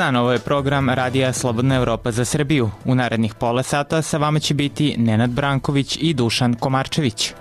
dan, ovo je program Radija Slobodna Evropa za Srbiju. U narednih pola sata sa vama će biti Nenad Branković i Dušan Komarčević.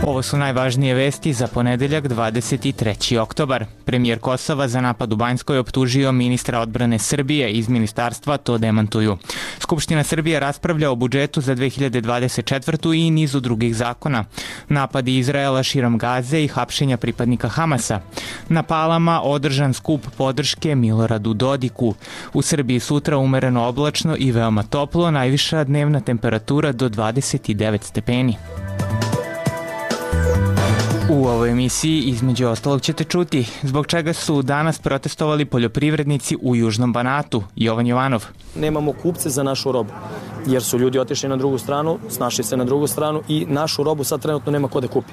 Ovo su najvažnije vesti za ponedeljak 23. oktobar. Premijer Kosova za napad u Banjskoj optužio ministra odbrane Srbije, iz ministarstva to demantuju. Skupština Srbije raspravlja o budžetu za 2024. i nizu drugih zakona. Napadi Izraela širom Gaze i hapšenja pripadnika Hamasa. Na Palama održan skup podrške Miloradu Dodiku. U Srbiji sutra umereno oblačno i veoma toplo, najviša dnevna temperatura do 29 stepeni. U ovoj emisiji između ostalog ćete čuti zbog čega su danas protestovali poljoprivrednici u Južnom Banatu. Jovan Jovanov. Nemamo kupce za našu robu, jer su ljudi otišli na drugu stranu, snašli se na drugu stranu i našu robu sad trenutno nema ko da kupi.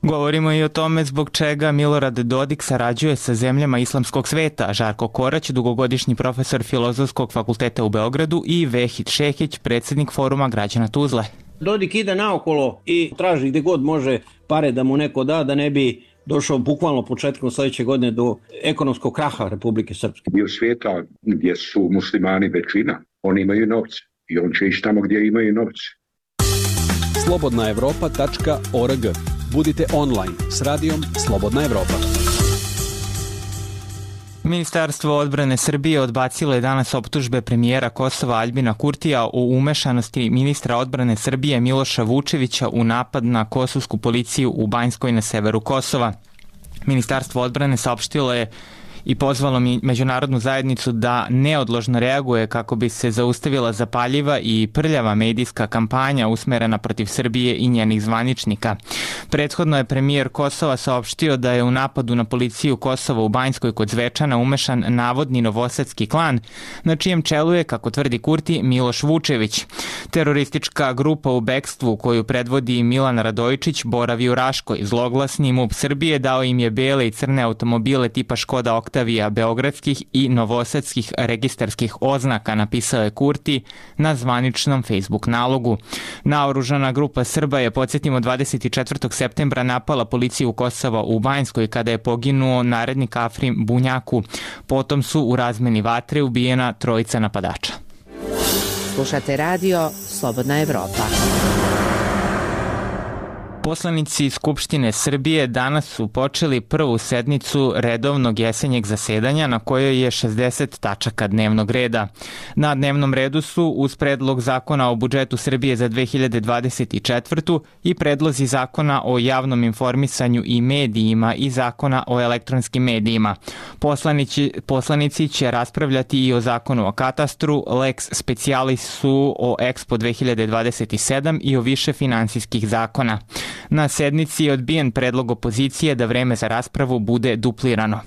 Govorimo i o tome zbog čega Milorad Dodik sarađuje sa zemljama islamskog sveta. Žarko Korać, dugogodišnji profesor Filozofskog fakulteta u Beogradu, i Vehid Šehić, predsjednik Foruma građana Tuzle. Dodik ide naokolo i traži gde god može pare da mu neko da ne bi došao bukvalno početkom sledeće godine do ekonomskog kraha Republike Srpske. Dio svijeta gdje su muslimani većina, oni imaju novce i on će ići tamo gdje imaju novce. slobodnaevropa.org. Budite online s radijom Slobodna Evropa. Ministarstvo odbrane Srbije odbacilo je danas optužbe premijera Kosova Aljbina Kurtija o umešanosti ministra odbrane Srbije Miloša Vučevića u napad na kosovsku policiju u Banjskoj na severu Kosova. Ministarstvo odbrane saopštilo je i pozvalo međunarodnu zajednicu da neodložno reaguje kako bi se zaustavila zapaljiva i prljava medijska kampanja usmerena protiv Srbije i njenih zvaničnika. Prethodno je premijer Kosova saopštio da je u napadu na policiju Kosova u Banjskoj kod Zvečana umešan navodni novosadski klan, na čijem čelu je, kako tvrdi Kurti, Miloš Vučević. Teroristička grupa u bekstvu koju predvodi Milan Radojičić boravi u Raškoj. Zloglasni MUP Srbije dao im je bele i crne automobile tipa Škoda Oktavija beogradskih i novosadskih registarskih oznaka, napisao je Kurti na zvaničnom Facebook nalogu. Naoružana grupa Srba je, podsjetimo, 24. septembra napala policiju Kosova u Banjskoj kada je poginuo narednik Afrim Bunjaku. Potom su u razmeni vatre ubijena trojica napadača. Slušate radio Slobodna Evropa. Poslanici Skupštine Srbije danas su počeli prvu sednicu redovnog jesenjeg zasedanja na kojoj je 60 tačaka dnevnog reda. Na dnevnom redu su uz predlog zakona o budžetu Srbije za 2024. i predlozi zakona o javnom informisanju i medijima i zakona o elektronskim medijima. Poslanici će raspravljati i o zakonu o katastru, lex specialisu o Expo 2027 i o više finansijskih zakona. Na sednici je odbijen predlog opozicije da vreme za raspravu bude duplirano.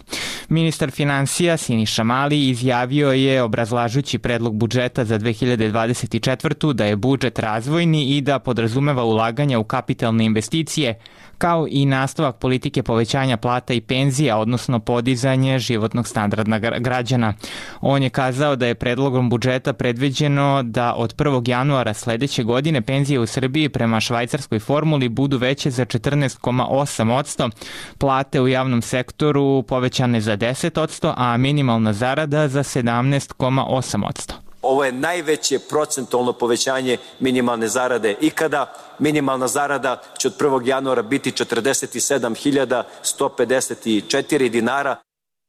Ministar finansija Siniša Mali izjavio je, obrazlažući predlog budžeta za 2024. da je budžet razvojni i da podrazumeva ulaganja u kapitalne investicije, kao i nastavak politike povećanja plata i penzija, odnosno podizanje životnog standarda građana. On je kazao da je predlogom budžeta predviđeno da od 1. januara sledeće godine penzije u Srbiji prema švajcarskoj formuli budu veće za 14,8%, plate u javnom sektoru povećane za 10%, a minimalna zarada za 17,8%. Ovo je najveće procentualno povećanje minimalne zarade ikada. Minimalna zarada će od 1. januara biti 47.154 dinara.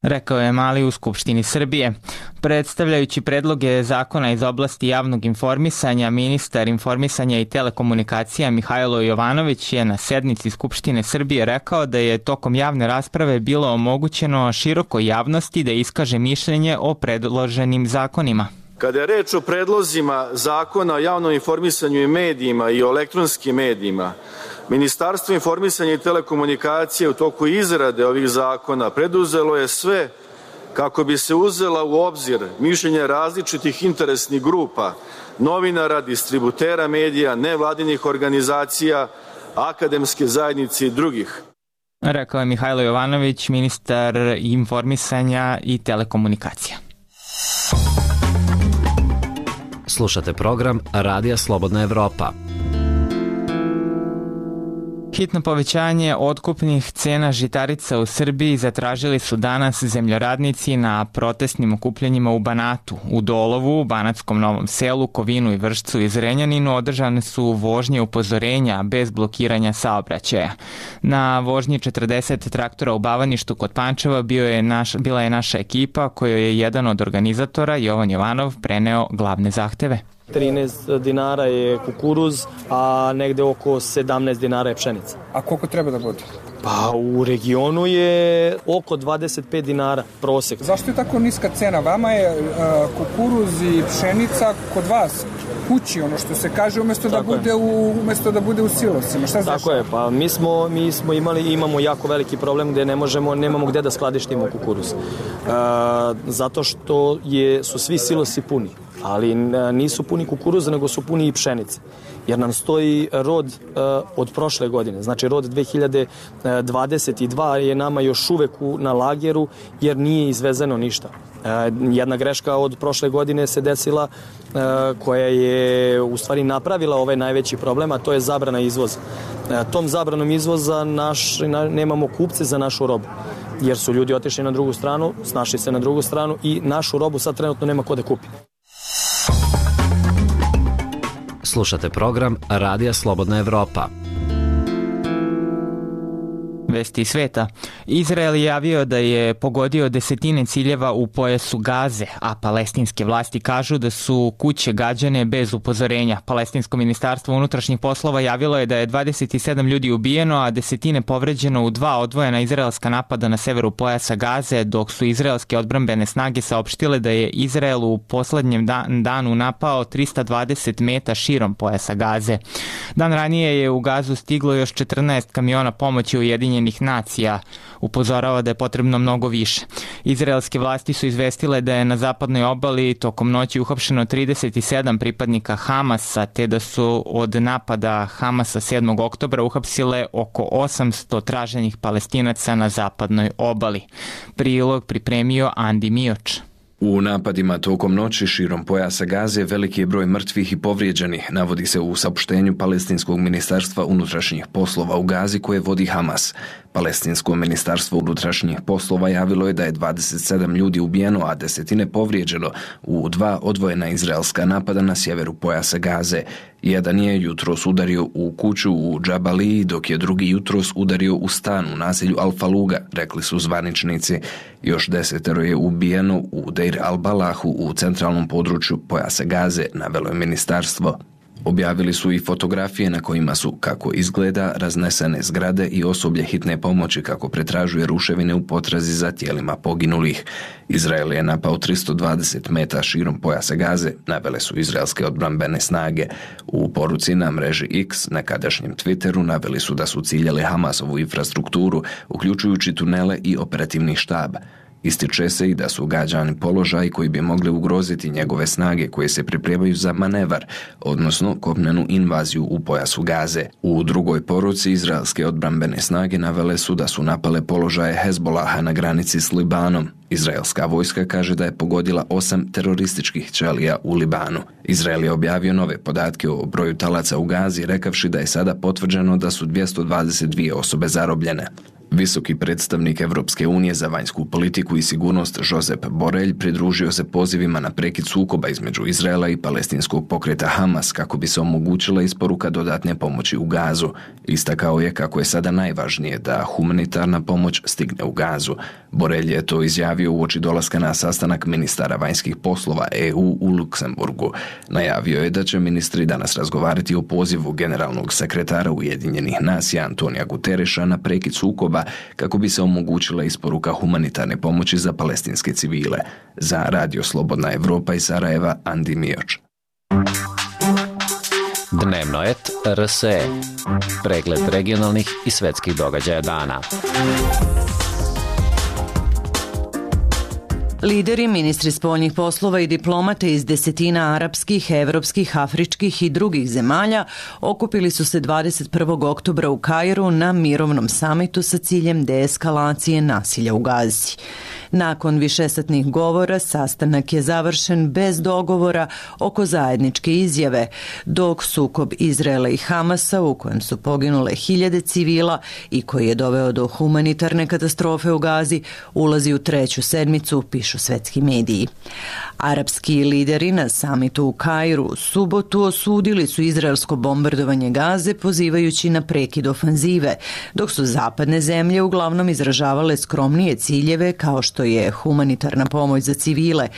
Rekao je Mali u Skupštini Srbije. Predstavljajući predloge zakona iz oblasti javnog informisanja, ministar informisanja i telekomunikacija Mihajlo Jovanović je na sednici Skupštine Srbije rekao da je tokom javne rasprave bilo omogućeno širokoj javnosti da iskaže mišljenje o predloženim zakonima. Kada je reč o predlozima zakona o javnom informisanju i medijima i o elektronskim medijima, Ministarstvo informisanja i telekomunikacije u toku izrade ovih zakona preduzelo je sve kako bi se uzela u obzir mišljenja različitih interesnih grupa, novinara, distributera medija, nevladinih organizacija, akademske zajednice i drugih. Rekao je Mihajlo Jovanović, ministar informisanja i telekomunikacija. Slušate program Radija Slobodna Evropa. Hitno povećanje otkupnih cena žitarica u Srbiji zatražili su danas zemljoradnici na protestnim okupljanjima u Banatu. U Dolovu, Banatskom Novom Selu, Kovinu i Vršcu i Zrenjaninu održane su vožnje upozorenja bez blokiranja saobraćaja. Na vožnji 40 traktora u Bavaništu kod Pančeva bila je naša ekipa kojoj je jedan od organizatora, Jovan Jovanov, preneo glavne zahteve. 13 dinara je kukuruz, a negde oko 17 dinara je pšenica. A koliko treba da bude? Pa u regionu je oko 25 dinara prosek. Zašto je tako niska cena? Vama je kukuruz i pšenica kod vas kući, ono što se kaže, umesto da bude u silosima. Šta znaš? Tako je, pa mi smo imamo jako veliki problem gde nemamo gde da skladištimo kukuruz. Zato što su svi silosi puni. Ali nisu puni kukuruza, nego su puni i pšenice. Jer nam stoji rod od prošle godine. Znači rod 2022 je nama još uvek na lageru jer nije izvezeno ništa. Jedna greška od prošle godine se desila koja je u stvari napravila ovaj najveći problem, a to je zabrana izvoza. Tom zabranom izvoza nemamo kupce za našu robu. Jer su ljudi otišli na drugu stranu, snašli se na drugu stranu i našu robu sad trenutno nema ko da kupi. Slušate program Radija Slobodna Evropa. Vesti sveta. Izrael je javio da je pogodio desetine ciljeva u pojasu Gaze, a palestinske vlasti kažu da su kuće gađane bez upozorenja. Palestinsko ministarstvo unutrašnjih poslova javilo je da je 27 ljudi ubijeno, a desetine povređeno u 2 odvojena izraelska napada na severu pojasa Gaze, dok su izraelske odbrambene snage saopštile da je Izrael u poslednjem danu napao 320 meta širom pojasa Gaze. Dan ranije je u Gazu stiglo još 14 kamiona pomoći Ujedinjenih nacija, upozorava da je potrebno mnogo više. Izraelske vlasti su izvestile da je na zapadnoj obali tokom noći uhapšeno 37 pripadnika Hamasa, te da su od napada Hamasa 7. oktobra uhapsile oko 800 traženih Palestinaca na zapadnoj obali. Prilog pripremio Andi Mioč. U napadima tokom noći širom pojasa Gaze veliki je broj mrtvih i povrijeđenih, navodi se u saopštenju Palestinskog ministarstva unutrašnjih poslova u Gazi koje vodi Hamas. Palestinsko ministarstvo unutrašnjih poslova javilo je da je 27 ljudi ubijeno, a desetine povrijeđeno u 2 odvojena izraelska napada na sjeveru pojasa Gaze. Jedan je jutros udario u kuću u Džabaliji, dok je drugi jutros udario u stan u naselju Al-Faluga, rekli su zvaničnici. Još 10 je ubijeno u Deir al-Balahu u centralnom području pojasa Gaze, navelo je ministarstvo. Objavili su i fotografije na kojima su, kako izgleda, raznesene zgrade i osoblje hitne pomoći kako pretražuje ruševine u potrazi za tijelima poginulih. Izrael je napao 320 meta širom pojasa Gaze, navele su izraelske odbrambene snage. U poruci na mreži X, nekadašnjem Twitteru, naveli su da su ciljali Hamasovu infrastrukturu, uključujući tunele i operativni štab. Ističe se i da su gađani položaji koji bi mogli ugroziti njegove snage koje se pripremaju za manevar, odnosno kopnenu invaziju u pojasu Gaze. U drugoj poruci izraelske odbrambene snage navele su da su napale položaje Hezbolaha na granici s Libanom. Izraelska vojska kaže da je pogodila 8 terorističkih ćelija u Libanu. Izrael je objavio nove podatke o broju talaca u Gazi, rekavši da je sada potvrđeno da su 222 osobe zarobljene. Visoki predstavnik Evropske unije za vanjsku politiku i sigurnost Josep Borrell pridružio se pozivima na prekid sukoba između Izraela i palestinskog pokreta Hamas kako bi se omogućila isporuka dodatne pomoći u Gazu. Istakao je kako je sada najvažnije da humanitarna pomoć stigne u Gazu. Borrell je to izjavio uoči dolaska na sastanak ministara vanjskih poslova EU u Luksemburgu. Najavio je da će ministri danas razgovarati o pozivu generalnog sekretara Ujedinjenih nacija Antonija Gutereša na prekid sukoba kako bi se omogućila isporuka humanitarne pomoći za palestinske civile. Za Radio Slobodna Evropa iz Sarajeva, Andi Mioč. Dnevno et RSE. Pregled regionalnih i svetskih događaja dana. Lideri, ministri spoljnih poslova i diplomate iz desetina arapskih, evropskih, afričkih i drugih zemalja okupili su se 21. oktobra u Kairu na mirovnom samitu sa ciljem deeskalacije nasilja u Gazi. Nakon višesatnih govora, sastanak je završen bez dogovora oko zajedničke izjave, dok sukob Izraela i Hamasa, u kojem su poginule hiljade civila i koji je doveo do humanitarne katastrofe u Gazi, ulazi u treću sedmicu, pišu svetski mediji. Arapski lideri na samitu u Kairu u subotu osudili su izraelsko bombardovanje Gaze, pozivajući na prekid ofanzive, dok su zapadne zemlje uglavnom izražavale skromnije ciljeve kao što je humanitarna pomoć za civile,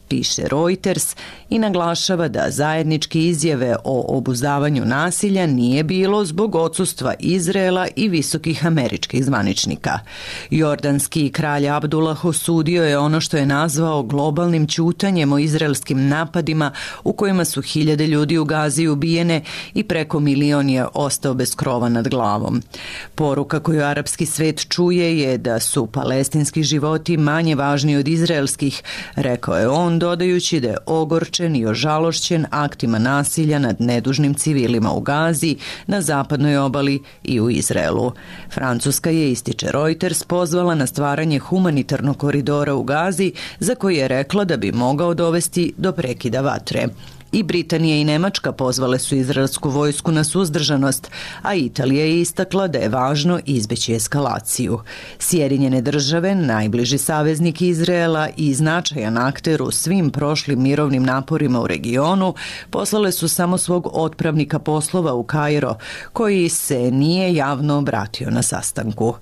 piše Reuters i naglašava da zajedničke izjave o obuzdavanju nasilja nije bilo zbog odsustva Izraela i visokih američkih zvaničnika. Jordanski kralj Abdullah osudio je ono što je nazvao globalnim ćutanjem o izraelskim napadima u kojima su hiljade ljudi u Gazi ubijene i preko milion je ostao bez krova nad glavom. Poruka koju arapski svet čuje je da su palestinski životi manje važni od izraelskih, rekao je on, dodajući da je ogorčen i ožalošćen aktima nasilja nad nedužnim civilima u Gazi, na zapadnoj obali i u Izraelu. Francuska je, ističe Reuters, pozvala na stvaranje humanitarnog koridora u Gazi, za koji je rekla da bi mogao dovesti do prekida vatre. I Britanija i Nemačka pozvale su izraelsku vojsku na suzdržanost, a Italija je istakla da je važno izbeći eskalaciju. Sjedinjene države, najbliži saveznik Izraela i značajan akter u svim prošlim mirovnim naporima u regionu, poslale su samo svog otpravnika poslova u Kairo, koji se nije javno obratio na sastanku.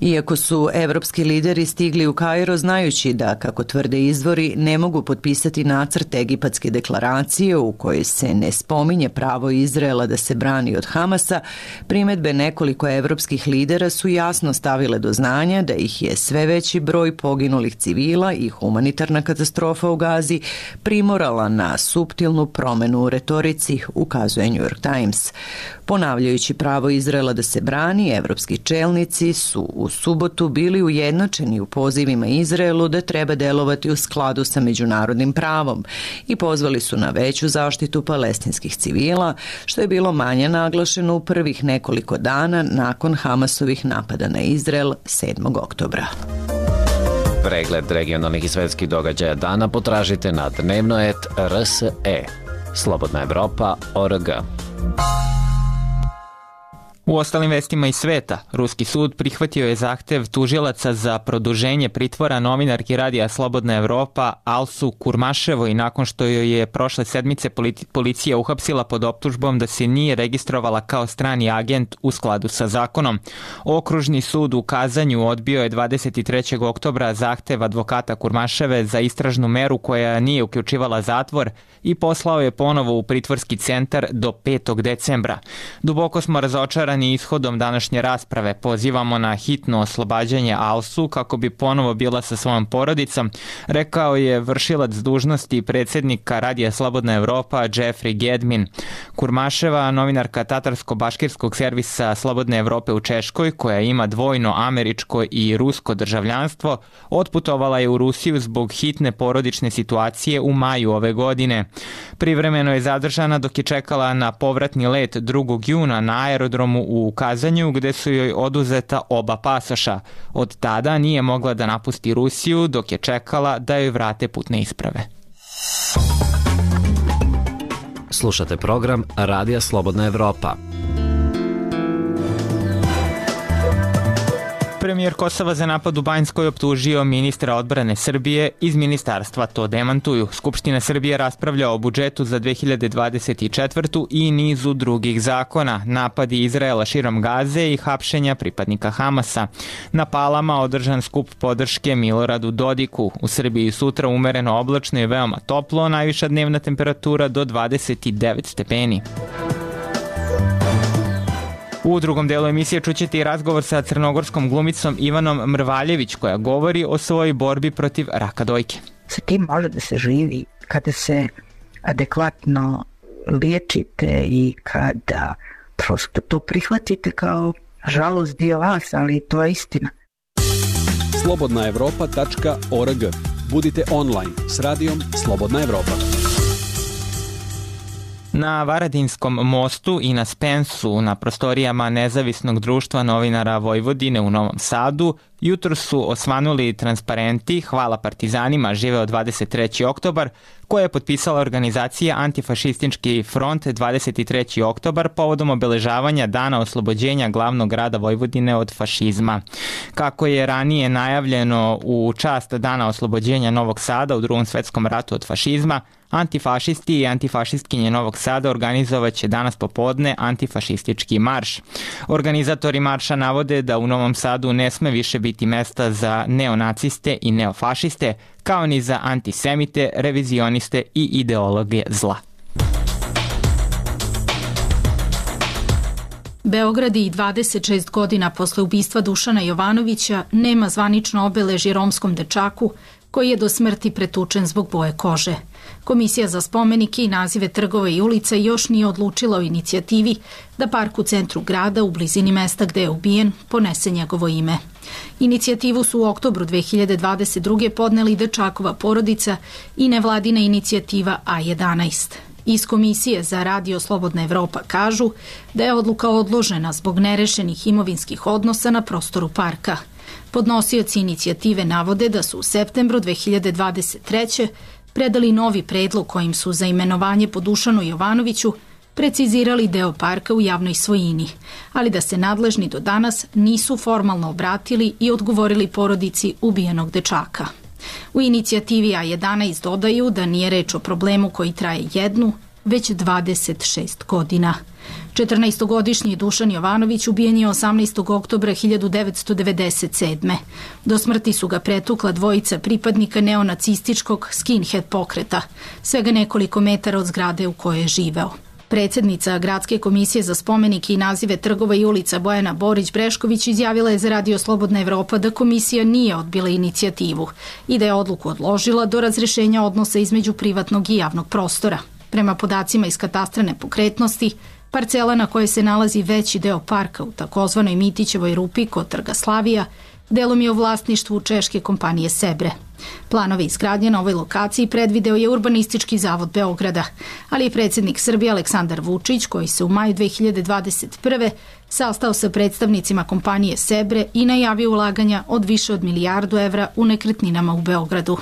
Iako su evropski lideri stigli u Kairo znajući da, kako tvrde izvori, ne mogu potpisati nacrt egipatske deklaracije u kojoj se ne spominje pravo Izraela da se brani od Hamasa, primedbe nekoliko evropskih lidera su jasno stavile do znanja da ih je sve veći broj poginulih civila i humanitarna katastrofa u Gazi primorala na suptilnu promenu u retorici, ukazuje New York Times. Ponavljajući pravo Izraela da se brani, evropski čelnici su u subotu bili ujednačeni u pozivima Izraelu da treba delovati u skladu sa međunarodnim pravom i pozvali su na veću zaštitu palestinskih civila, što je bilo manje naglašeno u prvih nekoliko dana nakon Hamasovih napada na Izrael 7. oktobra. Pregled regionalnih i svetskih događaja dana potražite na dnevnoet.rse. Slobodna Evropa.org. U ostalim vestima iz sveta, ruski sud prihvatio je zahtev tužilaca za produženje pritvora novinarki radija Slobodna Evropa Alsu Kurmaševoj nakon što joj je prošle sedmice policija uhapsila pod optužbom da se nije registrovala kao strani agent u skladu sa zakonom. Okružni sud u Kazanju odbio je 23. oktobra zahtev advokata Kurmaševe za istražnu meru koja nije uključivala zatvor i poslao je ponovo u pritvorski centar do 5. decembra. Duboko smo razočarani ishodom današnje rasprave. Pozivamo na hitno oslobađanje Alsu kako bi ponovo bila sa svojom porodicom, rekao je vršilac dužnosti predsjednika Radija Slobodna Evropa Jeffrey Gedmin. Kurmaševa, novinarka tatarsko-baškirskog servisa Slobodne Evrope u Češkoj, koja ima dvojno američko i rusko državljanstvo, otputovala je u Rusiju zbog hitne porodične situacije u maju ove godine. Privremeno je zadržana dok je čekala na povratni let 2. juna na aerodromu u Kazanju, gde su joj oduzeta oba pasoša. Od tada nije mogla da napusti Rusiju dok je čekala da joj vrate putne isprave. Slušate program Radija Slobodna Evropa. Premijer Kosova za napad u Banjskoj optužio ministra odbrane Srbije, iz ministarstva to demantuju. Skupština Srbije raspravlja o budžetu za 2024. i nizu drugih zakona, napadi Izraela širom Gaze i hapšenja pripadnika Hamasa. Na Palama održan skup podrške Miloradu Dodiku. U Srbiji sutra umereno oblačno i veoma toplo, najviša dnevna temperatura do 29 stepeni. U drugom delu emisije čućete i razgovor sa crnogorskom glumicom Ivanom Mrvaljević, koja govori o svojoj borbi protiv raka dojke. Sa tim može da se živi kada se adekvatno liječite i kada prosto to prihvatite kao žalost dio vas, ali to je istina. slobodnaevropa.org. Budite online s radijom Slobodna Evropa. Na Varadinskom mostu i na Spensu, na prostorijama Nezavisnog društva novinara Vojvodine u Novom Sadu, jutro su osvanuli transparenti Hvala partizanima, živeo 23. oktobar, koje je potpisala organizacija Antifašistički front 23. oktobar povodom obeležavanja Dana oslobođenja glavnog grada Vojvodine od fašizma. Kako je ranije najavljeno u čast Dana oslobođenja Novog Sada u Drugom svetskom ratu od fašizma, antifašisti i antifašistkinje Novog Sada organizovaće danas popodne antifašistički marš. Organizatori marša navode da u Novom Sadu ne sme više biti mesta za neonaciste i neofašiste, kao ni za antisemite, revizioniste i ideologe zla. Beograd i 26 godina posle ubistva Dušana Jovanovića nema zvanično obeležje romskom dečaku koji je do smrti pretučen zbog boje kože. Komisija za spomenike i nazive trgova i ulica još nije odlučila o inicijativi da park u centru grada, u blizini mesta gde je ubijen, ponese njegovo ime. Inicijativu su u oktobru 2022. podneli dečakova porodica i nevladina inicijativa A11. Iz Komisije za radio Slobodna Evropa kažu da je odluka odložena zbog nerešenih imovinskih odnosa na prostoru parka. Podnosioci inicijative navode da su u septembru 2023. predali novi predlog kojim su za imenovanje po Dušanu Jovanoviću precizirali deo parka u javnoj svojini, ali da se nadležni do danas nisu formalno obratili i odgovorili porodici ubijenog dečaka. U inicijativi A11 dodaju da nije reč o problemu koji traje jednu, već 26 godina. 14-godišnji Dušan Jovanović ubijen je 18. oktobra 1997. Do smrti su ga pretukla dvojica pripadnika neonacističkog skinhead pokreta, svega nekoliko metara od zgrade u kojoj je živeo. Predsjednica Gradske komisije za spomenike i nazive trgova i ulica Bojana Borić-Brešković izjavila je za radio Slobodna Evropa da komisija nije odbila inicijativu i da je odluku odložila do razrešenja odnosa između privatnog i javnog prostora. Prema podacima iz katastra nepokretnosti, parcela na kojoj se nalazi veći deo parka u takozvanoj Mitićevoj rupi kod Trga Slavija delom je u vlasništvu češke kompanije Sebre. Planove izgradnje na ovoj lokaciji predvideo je Urbanistički zavod Beograda, ali je predsjednik Srbije Aleksandar Vučić, koji se u maju 2021. sastao sa predstavnicima kompanije Sebre i najavio ulaganja od više od milijardu evra u nekretninama u Beogradu.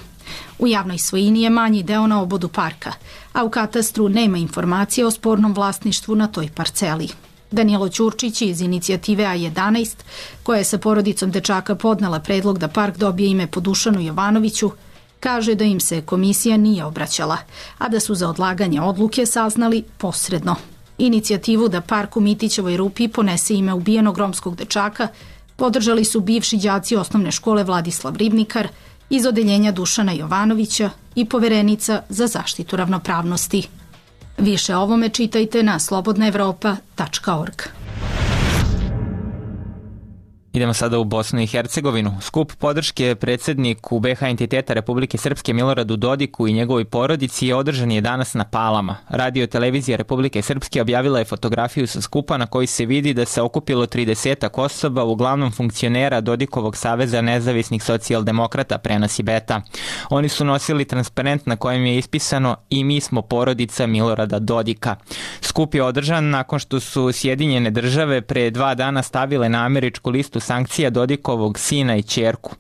U javnoj svojini je manji deo na obodu parka, a u katastru nema informacije o spornom vlasništvu na toj parceli. Danilo Ćurčić iz inicijative A11, koja je sa porodicom dečaka podnela predlog da park dobije ime po Dušanu Jovanoviću, kaže da im se komisija nije obraćala, a da su za odlaganje odluke saznali posredno. Inicijativu da park u Mitićevoj rupi ponese ime ubijenog romskog dečaka podržali su bivši đaci osnovne škole Vladislav Ribnikar iz odeljenja Dušana Jovanovića i poverenica za zaštitu ravnopravnosti. Više o ovome čitajte na slobodnaevropa.org. Idemo sada u Bosnu i Hercegovinu. Skup podrške predsjedniku BiH entiteta Republike Srpske Miloradu Dodiku i njegovoj porodici je održan je danas na Palama. Radio televizija Republike Srpske objavila je fotografiju sa skupa na kojoj se vidi da se okupilo 30 osoba, uglavnom funkcionera Dodikovog saveza nezavisnih socijaldemokrata, prenosi Beta. Oni su nosili transparent na kojem je ispisano "I mi smo porodica Milorada Dodika". Skup je održan nakon što su Sjedinjene države pre 2 dana stavile na američku listu sankcija Dodikovog sina i ćerku.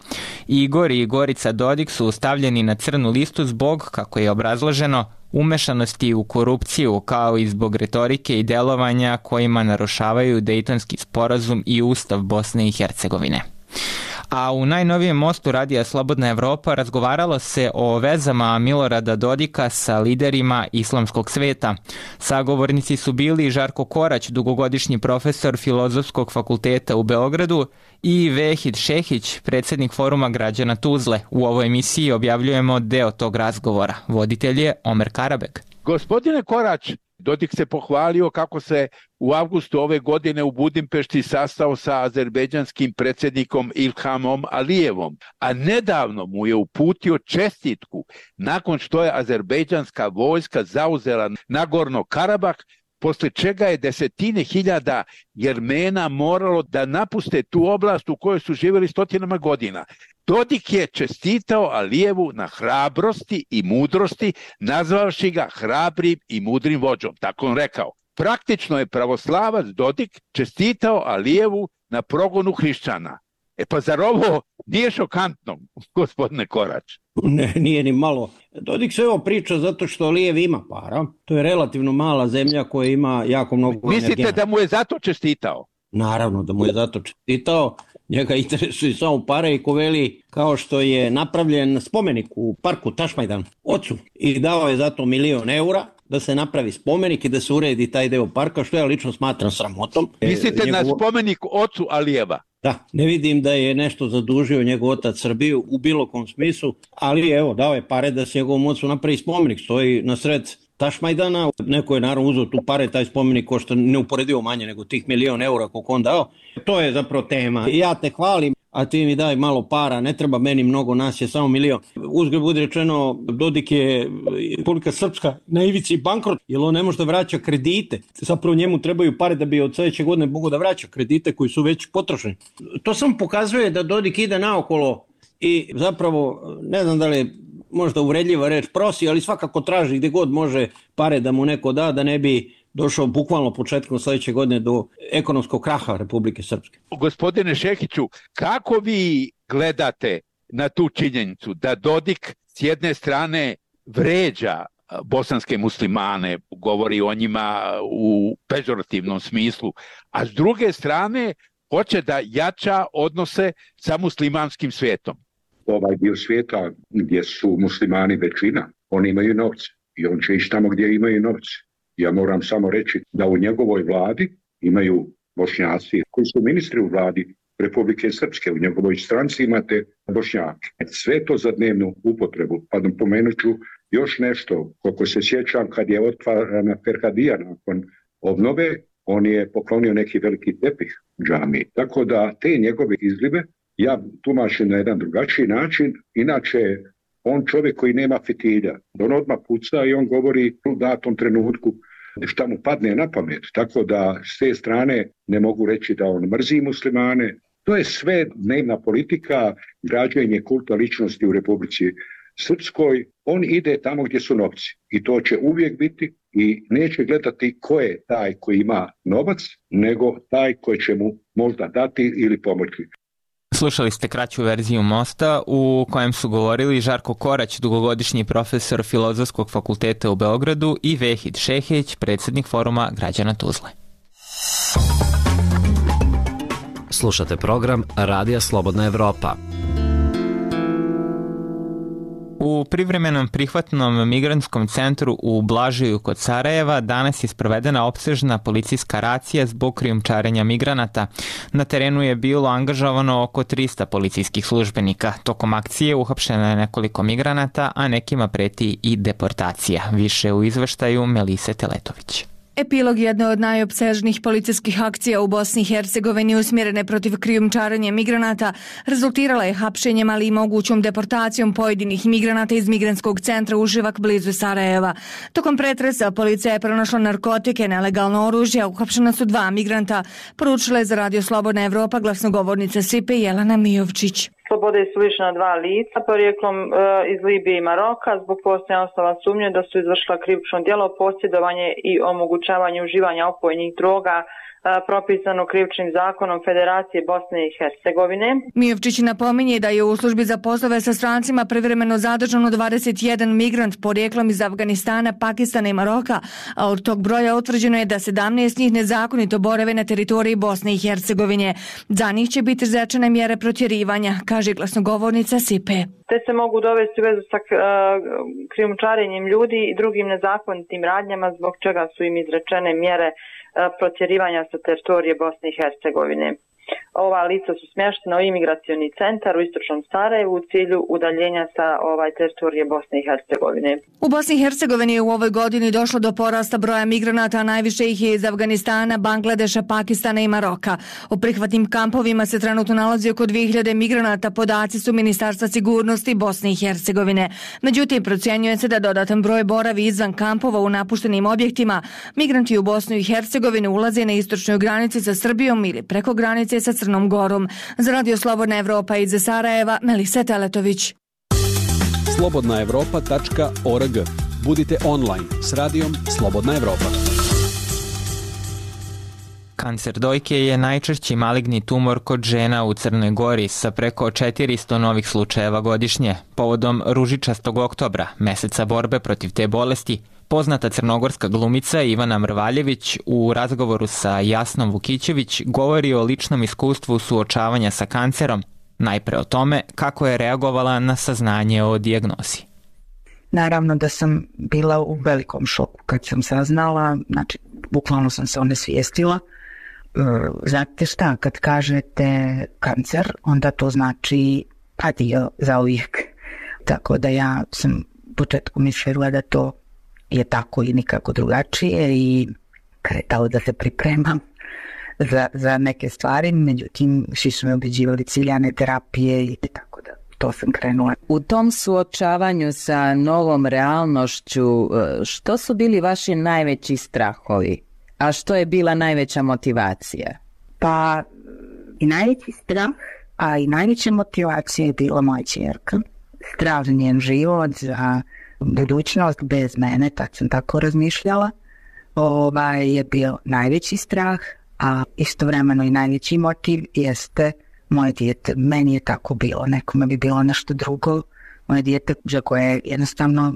Igor i Gorica Dodik su stavljeni na crnu listu zbog, kako je obrazloženo, umešanosti u korupciju, kao i zbog retorike i delovanja kojima narušavaju Dejtonski sporazum i Ustav Bosne i Hercegovine. A u najnovijem mostu radija Slobodna Evropa razgovaralo se o vezama Milorada Dodika sa liderima islamskog sveta. Sagovornici su bili Žarko Korać, dugogodišnji profesor Filozofskog fakulteta u Beogradu, i Vehid Šehić, predsjednik Foruma građana Tuzle. U ovoj emisiji objavljujemo deo tog razgovora. Voditelj je Omer Karabek. Gospodine Korać, Dodik se pohvalio kako se u avgustu ove godine u Budimpešti sastao sa azerbejdžanskim predsjednikom Ilhamom Alijevom, a nedavno mu je uputio čestitku nakon što je azerbejdžanska vojska zauzela Nagorno Karabah, posle čega je desetine hiljada Jermena moralo da napuste tu oblast u kojoj su živjeli stotinama godina. Dodik je čestitao Alijevu na hrabrosti i mudrosti, nazvavši ga hrabrim i mudrim vođom, tako on rekao. Praktično je pravoslavac Dodik čestitao Alijevu na progonu hrišćana. Pa zar ovo nije šokantno, gospodine Korać? Ne, nije ni malo. Dodik se ovo priča zato što Alijev ima para. To je relativno mala zemlja koja ima jako mnogo Mislite energenata. da mu je zato čestitao? Naravno da mu je zato čestitao. Njega interesuje samo pare i ko veli, kao što je napravljen spomenik u parku Tašmajdan ocu i dao je zato 1.000.000 eura da se napravi spomenik i da se uredi taj deo parka, što ja lično smatram sramotom. Mislite na spomenik ocu Alijeva? Da, ne vidim da je nešto zadužio njegov otac Srbiju u bilo kom smislu, ali evo, dao je pare da se njegovom ocu napravi spomenik, stoji na sred Tašmajdana, neko je naravno uzeo tu pare, taj spomenik košta neuporedivo manje nego tih 1.000.000 eura koliko on dao. To je zapravo tema. Ja te hvalim, a ti mi daj malo para, ne treba meni mnogo, nas je samo 1.000.000. Uzgled bude rečeno, Dodik je Republika Srpska na ivici bankrot, jer on ne može da vraća kredite. Zapravo njemu trebaju pare da bi od sledeće godine mogo da vraća kredite koji su već potrošeni. To samo pokazuje da Dodik ide naokolo i zapravo, ne znam da li je možda uvredljiva reč prosi, ali svakako traži gde god može pare da mu neko da ne bi došao bukvalno početkom sledeće godine do ekonomskog kraha Republike Srpske. Gospodine Šehiću, kako vi gledate na tu činjenicu da Dodik s jedne strane vređa bosanske muslimane, govori o njima u pežorativnom smislu, a s druge strane hoće da jača odnose sa muslimanskim svijetom? Ovaj dio svijeta gdje su muslimani većina, oni imaju novce i on će ići tamo gdje imaju novce. Ja moram samo reći da u njegovoj vladi imaju Bošnjaci koji su ministri u vladi Republike Srpske, u njegovoj stranci imate Bošnjake. Sve to za dnevnu upotrebu. Pa napomenut ću još nešto, koliko se sjećam kad je otvarana Ferhadija nakon obnove, on je poklonio neki veliki tepih džamiji. Tako da te njegove izlive ja tumačim na jedan drugačiji način. Inače, on čovjek koji nema fitilja, on odmah puca i on govori u datom trenutku šta mu padne na pamet. Tako da s te strane ne mogu reći da on mrzi muslimane. To je sve dnevna politika, građenje kulta ličnosti u Republici Srpskoj. On ide tamo gdje su novci i to će uvijek biti i neće gledati ko je taj koji ima novac, nego taj koji će mu možda dati ili pomoći. Slušali ste kraću verziju Mosta u kojem su govorili Žarko Korać, dugogodišnji profesor Filozofskog fakulteta u Beogradu, i Vehid Šehić, predsjednik Foruma građana Tuzle. Slušate program Radija Slobodna Evropa. U privremenom prihvatnom migrantskom centru u Blažiju kod Sarajeva danas je sprovedena opsežna policijska racija zbog krijumčarenja migranata. Na terenu je bilo angažovano oko 300 policijskih službenika. Tokom akcije uhapšeno je nekoliko migranata, a nekima preti i deportacija. Više u izveštaju Melise Teletović. Epilog jedne od najopsežnijih policijskih akcija u Bosni i Hercegovini usmjerene protiv krijumčarenja migranata rezultirala je hapšenjem, ali i mogućom deportacijom pojedinih migranata iz migrantskog centra Uživak blizu Sarajeva. Tokom pretresa policija je pronašla narkotike, nelegalno oružje, a uhapšena su 2 migranta, poručila je za Radio Slobodna Evropa glasnogovornica SIPE Jelena Mijovčić. Slobode su lišena 2 lica porijeklom iz Libije i Maroka zbog postojanja osnova sumnje da su izvršila krivično djelo posjedovanje i omogućavanje uživanja opojnih droga propisano krivičnim zakonom Federacije Bosne i Hercegovine. Mijovčić napominje da je u službi za poslove sa strancima privremeno zadržano 21 migrant porijeklom iz Afganistana, Pakistana i Maroka, a od tog broja utvrđeno je da 17 njih nezakonito borave na teritoriji Bosne i Hercegovine. Za njih će biti izrečene mjere protjerivanja, kaže glasnogovornica SIPE. Te se mogu dovesti u vezu sa krijumčarenjem ljudi i drugim nezakonitim radnjama zbog čega su im izrečene mjere protjerivanja sa teritorije Bosne i Hercegovine. Ova lica su smještena u imigracioni centar u istočnom Sarajevu u cilju udaljenja sa teritorije Bosne i Hercegovine. U Bosni i Hercegovini je u ovoj godini došlo do porasta broja migranata, a najviše ih je iz Afganistana, Bangladeša, Pakistana i Maroka. U prihvatnim kampovima se trenutno nalazi oko 2000 migranata, podaci su Ministarstva sigurnosti Bosne i Hercegovine. Međutim, procjenjuje se da dodatan broj boravi izvan kampova u napuštenim objektima. Migranti u Bosnu i Hercegovinu ulaze na istočnoj granici sa Srbijom ili preko granice sa Crnom Gorom. Za Radio Slobodna Evropa iz Sarajeva, Melisa Teletović. slobodnaevropa.org. Budite online s radijom Slobodna Evropa. Kancer dojke je najčešći maligni tumor kod žena u Crnoj Gori sa preko 400 novih slučajeva godišnje. Povodom Ružičastog oktobra, meseca borbe protiv te bolesti, poznata crnogorska glumica Ivana Mrvaljević u razgovoru sa Jasnom Vukićević govori o ličnom iskustvu suočavanja sa kancerom, najpre o tome kako je reagovala na saznanje o dijagnozi. Naravno da sam bila u velikom šoku kad sam saznala, znači bukvalno sam se onesvijestila. Znate šta, kad kažete kancer, onda to znači adio za uvijek. Tako da ja sam u početku mislila da to je tako i nikako drugačije i kretala da se pripremam za neke stvari, međutim svi su me ubeđivali ciljane terapije i tako da to sam krenula. U tom suočavanju sa novom realnošću, što su bili vaši najveći strahovi? A što je bila najveća motivacija? Pa i najveći strah, a i najveća motivacija je bila moja ćerka. Strah za njen život, za budućnost bez mene, tad sam tako razmišljala. Je bio najveći strah, a istovremeno i najveći motiv jeste moje dijete. Meni je tako bilo, nekome bi bilo nešto drugo. Moje dijete za koje jednostavno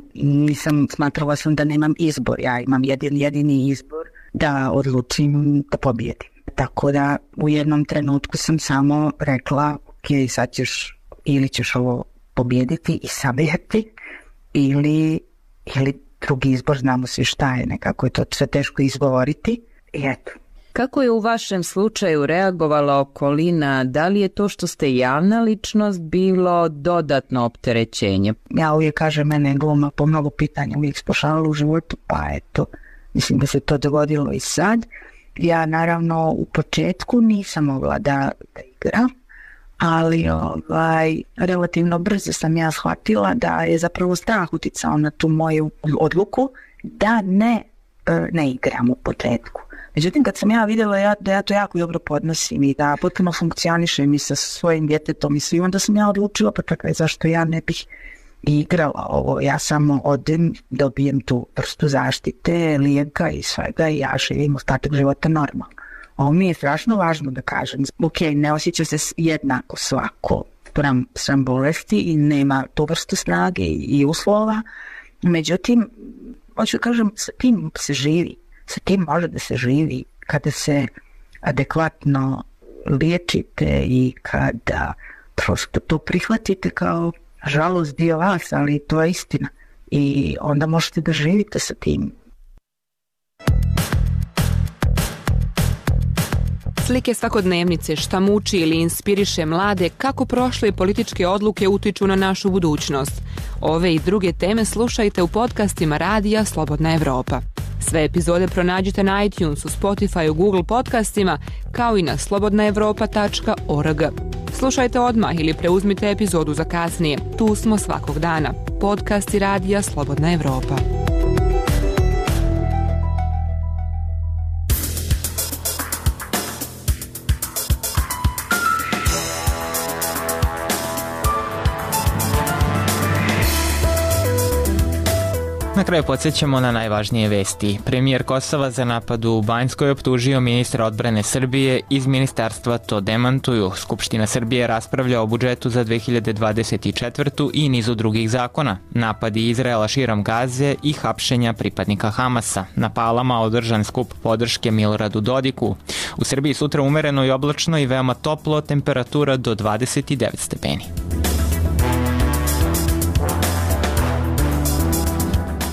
smatrala sam da nemam izbor. Ja imam jedini izbor da odlučim da pobijedim. Tako da u jednom trenutku sam samo rekla, ok, sad ćeš ovo pobijediti i sabijeti ili drugi izbor, znamo svi šta je, nekako je to sve teško izgovoriti i eto. Kako je u vašem slučaju reagovala okolina? Da li je to što ste javna ličnost bilo dodatno opterećenje? Ja uvijek kažem, mene je gluma po mnogo pitanja uvijek spošavala u životu, pa eto, mislim da se to dogodilo i sad. Ja naravno u početku nisam mogla da igram, ali relativno brzo sam ja shvatila da je zapravo strah uticao na tu moju odluku da ne igram u početku. Međutim, kad sam ja vidjela da ja to jako dobro podnosim i da potpuno funkcionišem i sa svojim djetetom i svim, onda sam ja odlučila, pa čekaj, zašto ja ne bih igrala ovo, ja samo odem, dobijem tu vrstu zaštite, lijeka i svega i ja živim ostatak života normalno. Ovo mi je strašno važno da kažem. Ok, ne osjeća se jednako svako spram bolesti i nema tu vrstu snage i uslova. Međutim, hoću da kažem, sa tim se živi. Sa tim može da se živi kada se adekvatno liječite i kada prosto to prihvatite kao žalost dio vas, ali to je istina. I onda možete da živite sa tim. Slike svakodnevnice, šta muči ili inspiriše mlade, kako prošle političke odluke utiču na našu budućnost. Ove i druge teme slušajte u podcastima Radija Slobodna Evropa. Sve epizode pronađite na iTunesu, Spotify, Google podcastima, kao i na slobodnaevropa.org. Slušajte odmah ili preuzmite epizodu za kasnije. Tu smo svakog dana. Podcasti Radija Slobodna Evropa. Na kraju podsjećamo na najvažnije vesti. Premijer Kosova za napad u Banjskoj optužio ministra odbrane Srbije, iz ministarstva to demantuju. Skupština Srbije raspravlja o budžetu za 2024. i nizu drugih zakona. Napadi Izraela širom Gaze i hapšenja pripadnika Hamasa. Na Palama održan skup podrške Miloradu Dodiku. U Srbiji sutra umereno i oblačno i veoma toplo, temperatura do 29 stepeni.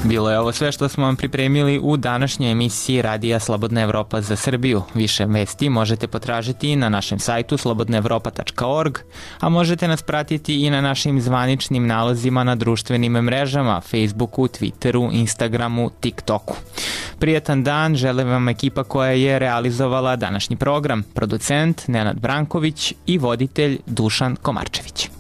Bilo je ovo sve što smo vam pripremili u današnjoj emisiji Radija Slobodna Evropa za Srbiju. Više vesti možete potražiti na našem sajtu slobodnaevropa.org, a možete nas pratiti i na našim zvaničnim nalozima na društvenim mrežama, Facebooku, Twitteru, Instagramu, TikToku. Prijetan dan, želim vam ekipa koja je realizovala današnji program, producent Nenad Branković i voditelj Dušan Komarčević.